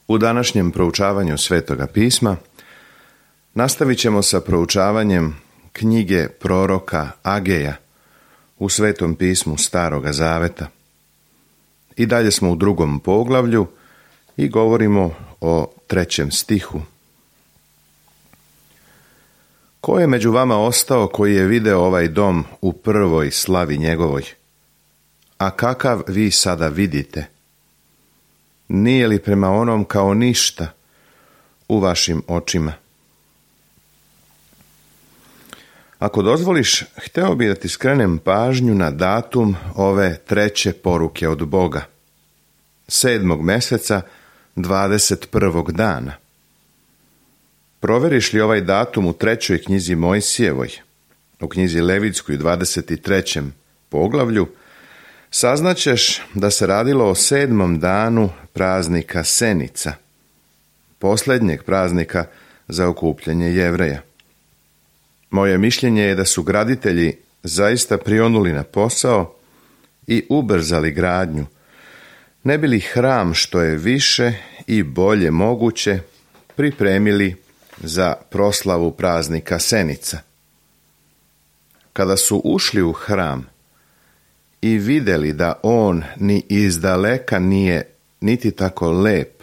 U današnjem proučavanju Svetoga pisma nastavit ćemo sa proučavanjem knjige proroka Ageja u Svetom pismu Staroga Zaveta. I dalje smo u 2. poglavlju i govorimo o 3. stihu. Ko je među vama ostao koji je video ovaj dom u prvoj slavi njegovoj? A kakav vi sada vidite? Nije li prema onom kao ništa u vašim očima? Ako dozvoliš, hteo bi da ti skrenem pažnju na datum ove 3. poruke od Boga. 7. meseca, 21. dana. Proveriš li ovaj datum u 3. knjizi Mojsijevoj, u knjizi Levitskoj 23. poglavlju, saznaćeš da se radilo o 7. danu praznika Senica, posljednjeg praznika za okupljanje Jevreja. Moje mišljenje je da su graditelji zaista prionuli na posao i ubrzali gradnju, ne bi li hram što je više i bolje moguće pripremili za proslavu praznika Senica. Kada su ušli u hram i vidjeli da on ni izdaleka nije niti tako lep,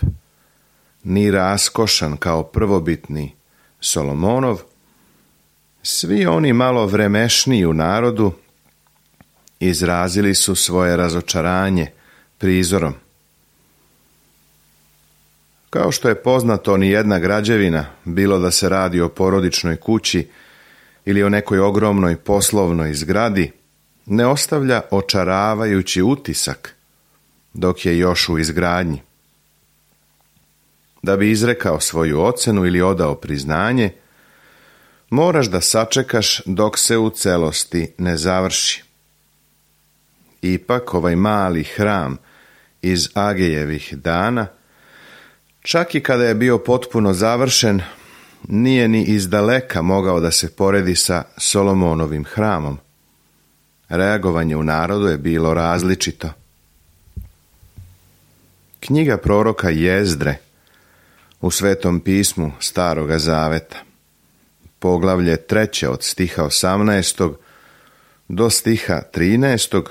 ni raskošan kao prvobitni Solomonov, svi oni malo vremešniji u narodu izrazili su svoje razočaranje prizorom. Kao što je poznato, ni jedna građevina, bilo da se radi o porodičnoj kući ili o nekoj ogromnoj poslovnoj zgradi, ne ostavlja očaravajući utisak dok je još u izgradnji. Da bi izrekao svoju ocenu ili odao priznanje, moraš da sačekaš dok se u celosti ne završi. Ipak ovaj mali hram iz Agejevih dana, čak i kada je bio potpuno završen, nije ni izdaleka mogao da se poredi sa Solomonovim hramom. Reagovanje u narodu je bilo različito. Knjiga proroka Jezdre u Svetom pismu Staroga Zaveta, poglavlje 3. od stiha 18. do stiha 13.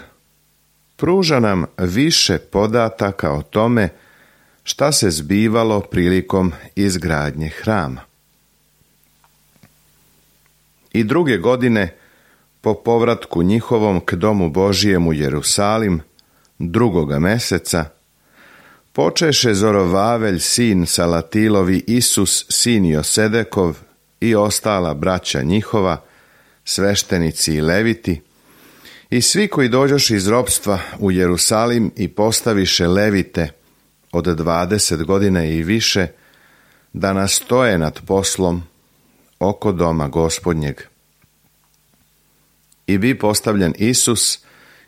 pruža nam više podataka o tome šta se zbivalo prilikom izgradnje hrama. I 2. godine, po povratku njihovom k domu Božijem u Jerusalim, 2. meseca, počeše Zorovavelj sin Salatilovi, Isus sin Josedekov i ostala braća njihova, sveštenici i leviti, i svi koji dođoše iz ropstva u Jerusalim i postaviše levite od 20 godina i više, da nastoje nad poslom oko doma Gospodnjeg. I bi postavljen Isus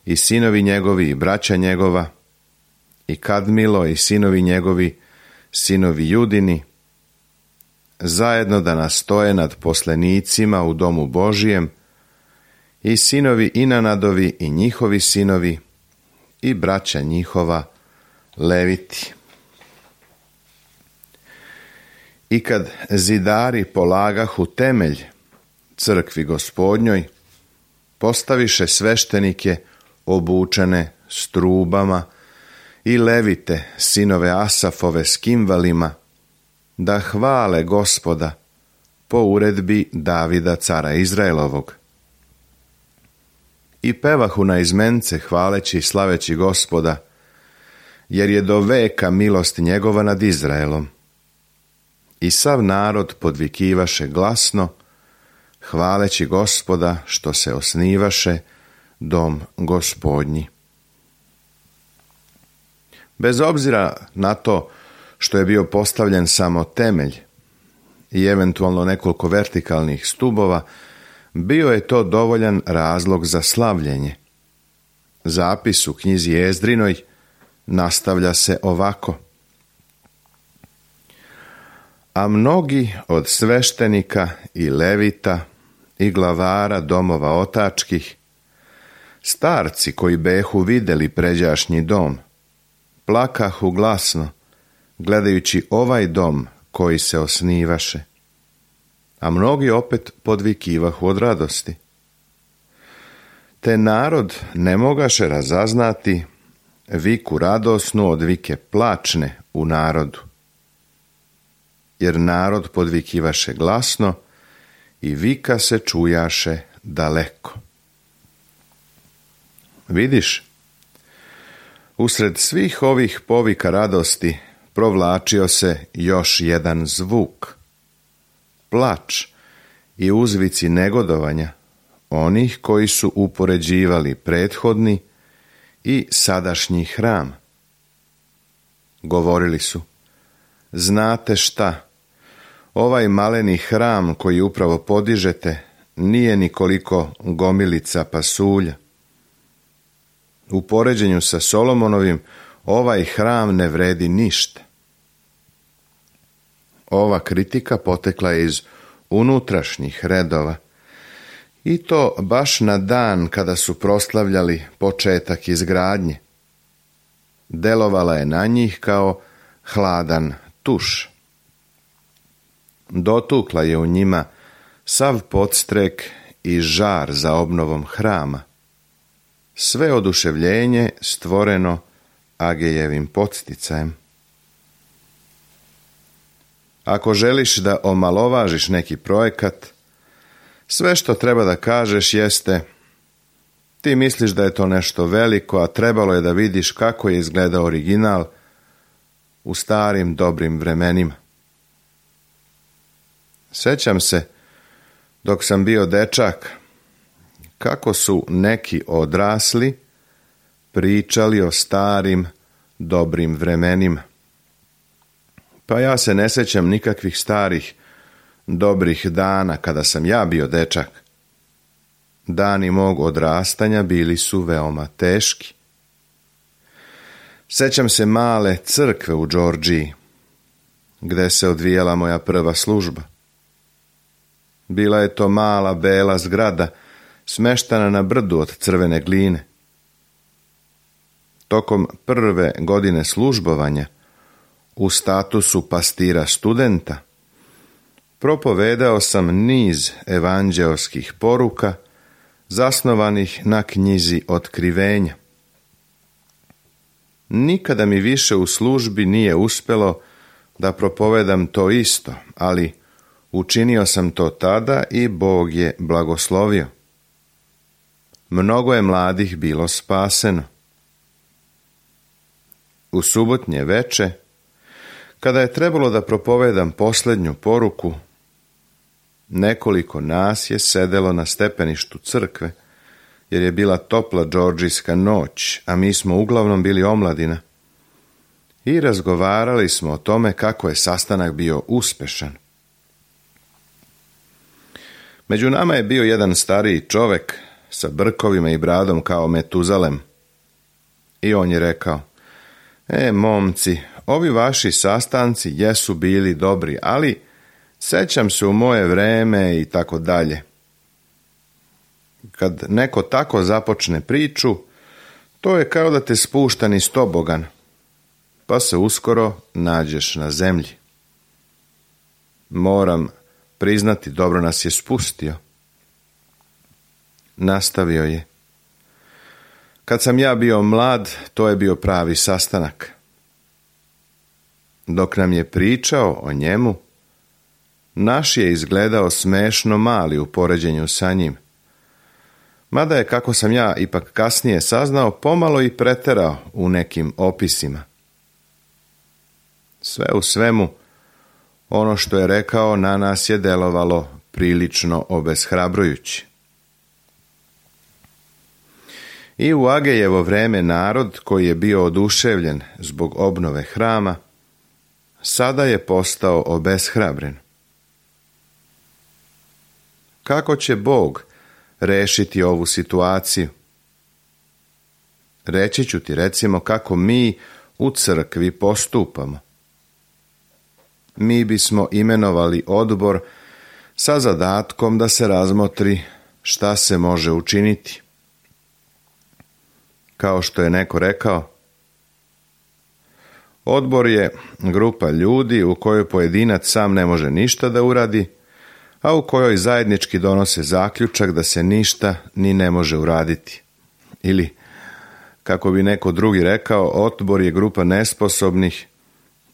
i sinovi njegovi i braća njegova, i Kadmilo i sinovi njegovi, sinovi Judini, zajedno da nastoje nad poslenicima u domu Božijem, i sinovi Inanadovi i njihovi sinovi, i braća njihova, leviti. I kad zidari polagahu temelj crkvi Gospodnjoj, postaviše sveštenike obučene s trubama i levite, sinove Asafove s kimvalima, da hvale Gospoda po uredbi Davida cara Izraelovog. I pevahu na izmence hvaleći i slaveći Gospoda, jer je do veka milost njegova nad Izraelom. I sav narod podvikivaše glasno, hvaleći Gospoda što se osnivaše dom Gospodnji. Bez obzira na to što je bio postavljen samo temelj i eventualno nekoliko vertikalnih stubova, bio je to dovoljan razlog za slavljenje. Zapis u knjizi Jezdrinoj nastavlja se ovako. A mnogi od sveštenika i levita i glavara domova otačkih, starci koji behu videli pređašnji dom, plakahu glasno, gledajući ovaj dom koji se osnivaše, a mnogi opet podvikivahu od radosti. Te narod ne mogaše razaznati viku radosnu od vike plačne u narodu, jer narod podvikivaše glasno i vika se čujaše daleko. Vidiš, usred svih ovih povika radosti provlačio se još jedan zvuk, plač i uzvici negodovanja onih koji su upoređivali prethodni i sadašnji hram. Govorili su: znate šta, ovaj maleni hram koji upravo podižete nije nikoliko gomilica pasulja. U poređenju sa Solomonovim ovaj hram ne vredi ništa. Ova kritika potekla je iz unutrašnjih redova, i to baš na dan kada su proslavljali početak izgradnje. Delovala je na njih kao hladan tuš. Dotukla je u njima sav podstrek i žar za obnovom hrama. Sve oduševljenje stvoreno Agejevim podsticajem. Ako želiš da omalovažiš neki projekat, sve što treba da kažeš jeste: ti misliš da je to nešto veliko, a trebalo je da vidiš kako je izgledao original u starim dobrim vremenima. Sećam se, dok sam bio dečak, kako su neki odrasli pričali o starim dobrim vremenima. Pa ja se ne sećam nikakvih starih dobrih dana kada sam ja bio dečak. Dani mog odrastanja bili su veoma teški. Sećam se male crkve u Đorđiji, gde se odvijala moja prva služba. Bila je to mala bela zgrada, smeštana na brdu od crvene gline. Tokom prve godine službovanja, u statusu pastira studenta, propovedao sam niz evanđeoskih poruka zasnovanih na knjizi Otkrivenja. Nikada mi više u službi nije uspelo da propovedam to isto, ali učinio sam to tada i Bog je blagoslovio. Mnogo je mladih bilo spaseno. U subotnje veče, kada je trebalo da propovedam posljednju poruku, nekoliko nas je sedelo na stepeništu crkve, jer je bila topla džordžijska noć, a mi smo uglavnom bili omladina, i razgovarali smo o tome kako je sastanak bio uspešan. Među nama je bio jedan stariji čovek sa brkovima i bradom kao Metuzalem. I on je rekao: momci, ovi vaši sastanci jesu bili dobri, ali sećam se u moje vreme i tako dalje. Kad neko tako započne priču, to je kao da te spušta niz tobogan, pa se uskoro nađeš na zemlji. Moram priznati, dobro nas je spustio. Nastavio je: kad sam ja bio mlad, to je bio pravi sastanak. Dok nam je pričao o njemu, naš je izgledao smešno mali u poređenju sa njim. Mada je, kako sam ja ipak kasnije saznao, pomalo i preterao u nekim opisima. Sve u svemu, ono što je rekao na nas je delovalo prilično obeshrabrujući. I u Agejevo vreme narod, koji je bio oduševljen zbog obnove hrama, sada je postao obeshrabren. Kako će Bog rešiti ovu situaciju? Reći ću ti recimo kako mi u crkvi postupamo. Mi bismo imenovali odbor sa zadatkom da se razmotri šta se može učiniti. Kao što je neko rekao, Odbor je grupa ljudi u kojoj pojedinac sam ne može ništa da uradi, a u kojoj zajednički donose zaključak da se ništa ni ne može uraditi. Ili, kako bi neko drugi rekao, odbor je grupa nesposobnih,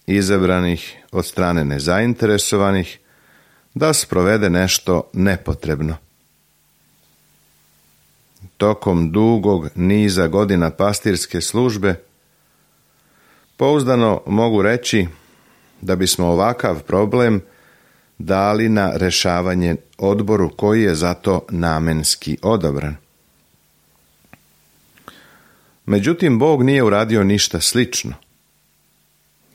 izabranih od strane nezainteresovanih, da sprovede nešto nepotrebno. Tokom dugog niza godina pastirske službe, pouzdano mogu reći da bismo ovakav problem dali na rešavanje odboru koji je zato namenski odabran. Međutim, Bog nije uradio ništa slično.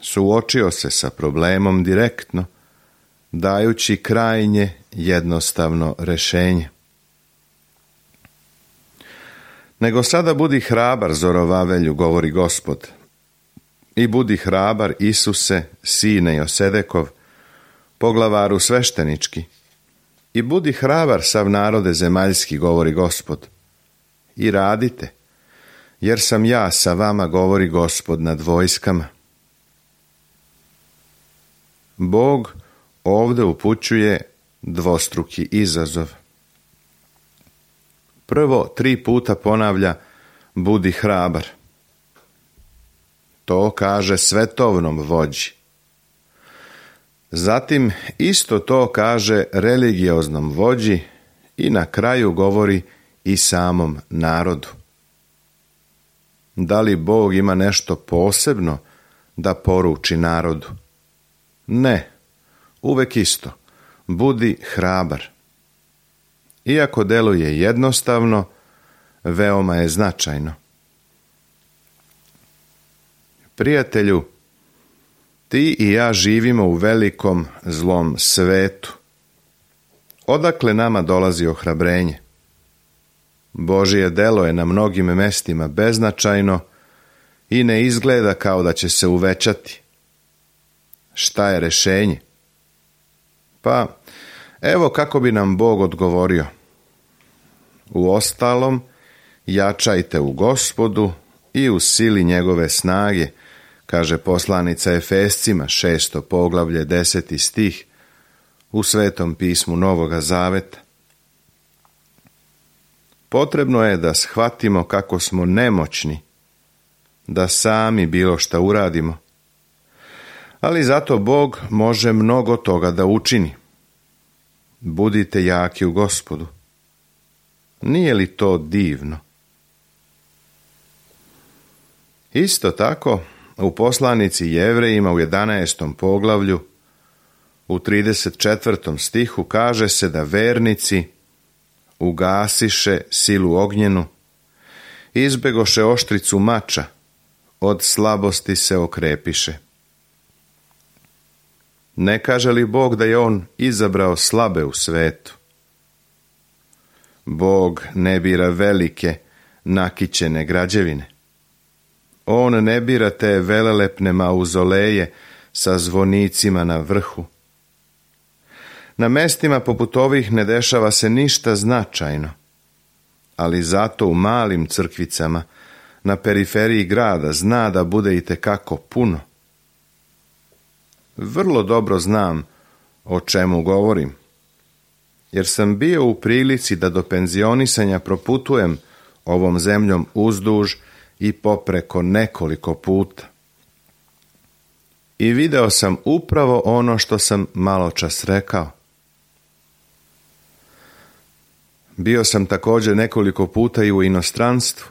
Suočio se sa problemom direktno, dajući krajnje jednostavno rešenje. Nego sada budi hrabar, Zorovavelju, govori Gospod, i budi hrabar, Isuse, sine Josedekov, poglavaru sveštenički, i budi hrabar, sav narode zemaljski, govori Gospod, i radite, jer sam ja sa vama, govori Gospod nad vojskama. Bog ovdje upućuje dvostruki izazov. Prvo 3 puta ponavlja budi hrabar. To kaže svetovnom vođi. Zatim isto to kaže religioznom vođi i na kraju govori i samom narodu. Da li Bog ima nešto posebno da poruči narodu? Ne, uvek isto. Budi hrabar. Iako deluje jednostavno, veoma je značajno. Prijatelju, ti i ja živimo u velikom zlom svetu. Odakle nama dolazi ohrabrenje? Božje delo je na mnogim mestima beznačajno i ne izgleda kao da će se uvećati. Šta je rešenje? Pa, evo kako bi nam Bog odgovorio. Uostalom, jačajte u Gospodu i u sili njegove snage, kaže poslanica Efescima, 6. poglavlje, 10. stih, u Svetom pismu Novoga Zaveta. Potrebno je da shvatimo kako smo nemoćni, da sami bilo šta uradimo, ali zato Bog može mnogo toga da učini. Budite jaki u Gospodu. Nije li to divno? Isto tako, u poslanici Jevrejima u 11. poglavlju, u 34. stihu kaže se da vernici ugasiše silu ognjenu, izbegoše oštricu mača, od slabosti se okrepiše. Ne kaže li Bog da je on izabrao slabe u svetu? Bog ne bira velike, nakićene građevine. On ne bira te velelepne mauzoleje sa zvonicima na vrhu. Na mestima poput ovih ne dešava se ništa značajno, ali zato u malim crkvicama na periferiji grada zna da bude itekako puno. Vrlo dobro znam o čemu govorim, jer sam bio u prilici da do penzionisanja proputujem ovom zemljom uzduž i popreko nekoliko puta. I video sam upravo ono što sam maločas rekao. Bio sam također nekoliko puta i u inostranstvu.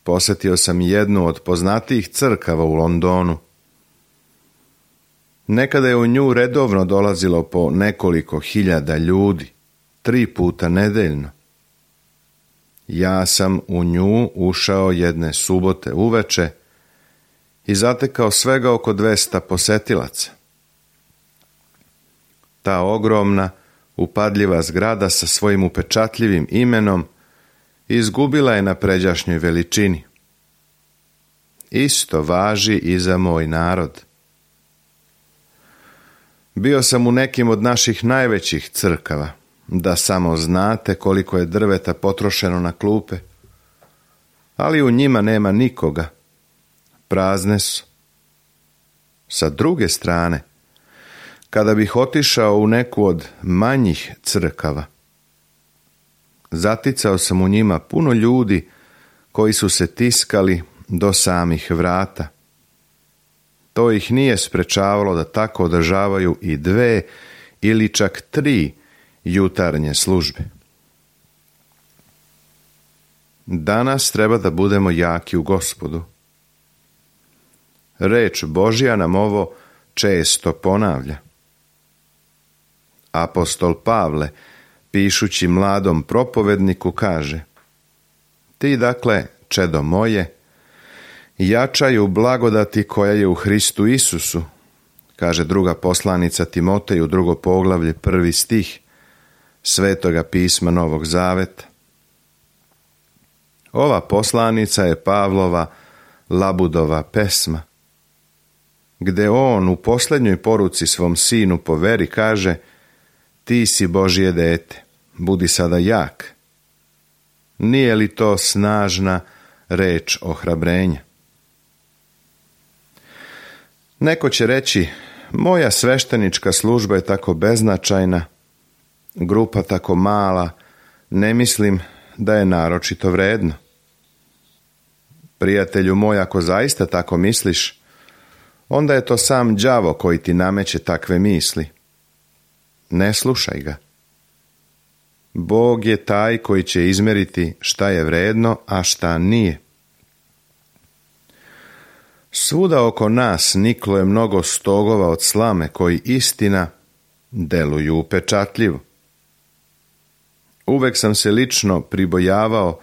Posetio sam jednu od poznatijih crkava u Londonu. Nekada je u nju redovno dolazilo po nekoliko hiljada ljudi, 3 puta nedeljno. Ja sam u nju ušao jedne subote uveče i zatekao svega oko 200 posetilaca. Ta ogromna, upadljiva zgrada sa svojim upečatljivim imenom izgubila je na pređašnjoj veličini. Isto važi i za moj narod. Bio sam u nekim od naših najvećih crkava, da samo znate koliko je drveta potrošeno na klupe, ali u njima nema nikoga. Prazne su. Sa druge strane, kada bih otišao u neku od manjih crkava, zaticao sam u njima puno ljudi koji su se tiskali do samih vrata. To ih nije sprečavalo da tako održavaju i 2 ili čak 3 jutarnje službe. Danas treba da budemo jaki u Gospodu. Reč Božja nam ovo često ponavlja. Apostol Pavle, pišući mladom propovedniku, kaže: Ti dakle, čedo moje, jačaj u blagodati koja je u Hristu Isusu, kaže druga poslanica Timoteju, 2. poglavlje, 1. stih Svetoga pisma Novog Zaveta. Ova poslanica je Pavlova Labudova pesma, gde on u posljednjoj poruci svom sinu po veri kaže: Ti si Božje dete, budi sada jak. Nije li to snažna reč ohrabrenja? Neko će reći: moja sveštenička služba je tako beznačajna, grupa tako mala, ne mislim da je naročito vredno. Prijatelju moj, ako zaista tako misliš, onda je to sam đavo koji ti nameće takve misli. Ne slušaj ga. Bog je taj koji će izmeriti šta je vredno, a šta nije. Svuda oko nas niklo je mnogo stogova od slame koji, istina, deluju upečatljivo. Uvek sam se lično pribojavao,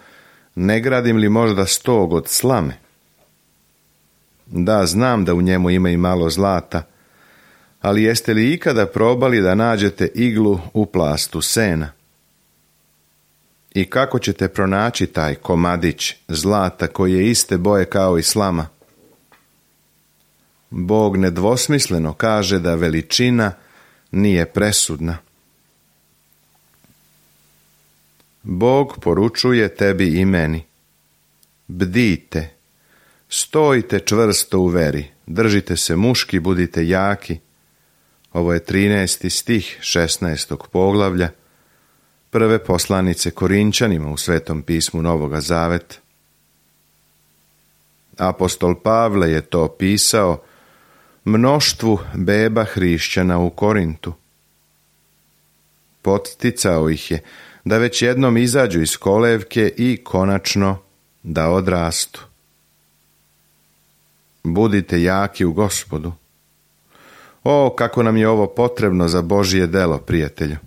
ne gradim li možda stog od slame. Da, znam da u njemu ima i malo zlata, ali jeste li ikada probali da nađete iglu u plastu sena? I kako ćete pronaći taj komadić zlata koji je iste boje kao i slama? Bog nedvosmisleno kaže da veličina nije presudna. Bog poručuje tebi i meni: bdite, stojite čvrsto u veri, držite se muški, budite jaki. Ovo je 13. stih 16. poglavlja prve poslanice Korinčanima u Svetom pismu Novoga Zaveta. Apostol Pavle je to pisao mnoštvu beba hrišćana u Korintu. Podsticao ih je da već jednom izađu iz kolevke i konačno da odrastu. Budite jaki u Gospodu. O, kako nam je ovo potrebno za Božje delo, prijatelju.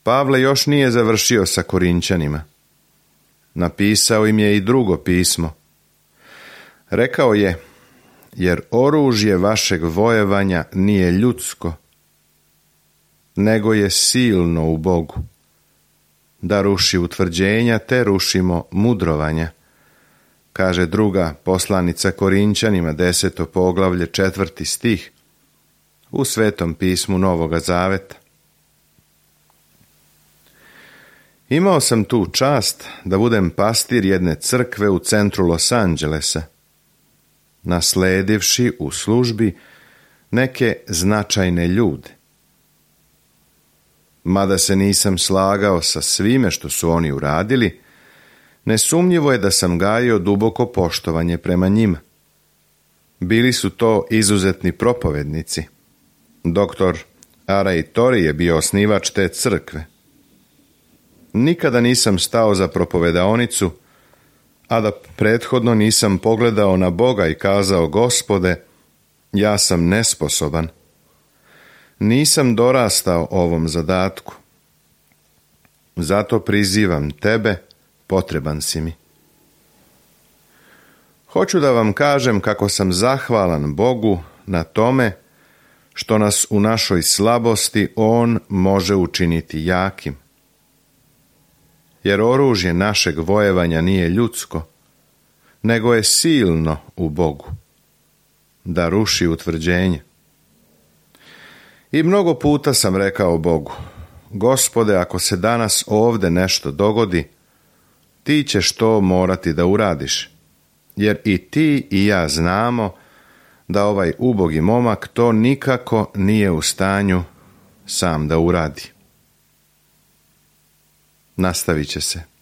Pavle još nije završio sa Korinčanima. Napisao im je i drugo pismo. Rekao je: jer oružje vašeg vojevanja nije ljudsko, nego je silno u Bogu, da ruši utvrđenja te rušimo mudrovanja, kaže druga poslanica Korinčanima 10. poglavlje 4. stih u Svetom pismu Novoga Zaveta. Imao sam tu čast da budem pastir jedne crkve u centru Los Angelesa, nasledivši u službi neke značajne ljude. Mada se nisam slagao sa svime što su oni uradili, nesumnjivo je da sam gajio duboko poštovanje prema njima. Bili su to izuzetni propovednici. Doktor Arai Tori je bio osnivač te crkve. Nikada nisam stao za propovedaonicu, a da prethodno nisam pogledao na Boga i kazao: Gospode, ja sam nesposoban. Nisam dorastao ovom zadatku. Zato prizivam tebe, potreban si mi. Hoću da vam kažem kako sam zahvalan Bogu na tome što nas u našoj slabosti On može učiniti jakim. Jer oružje našeg vojevanja nije ljudsko, nego je silno u Bogu, da ruši utvrđenje. I mnogo puta sam rekao Bogu: Gospode, ako se danas ovde nešto dogodi, ti ćeš to morati da uradiš, jer i ti i ja znamo da ovaj ubogi momak to nikako nije u stanju sam da uradi. Nastavit će se.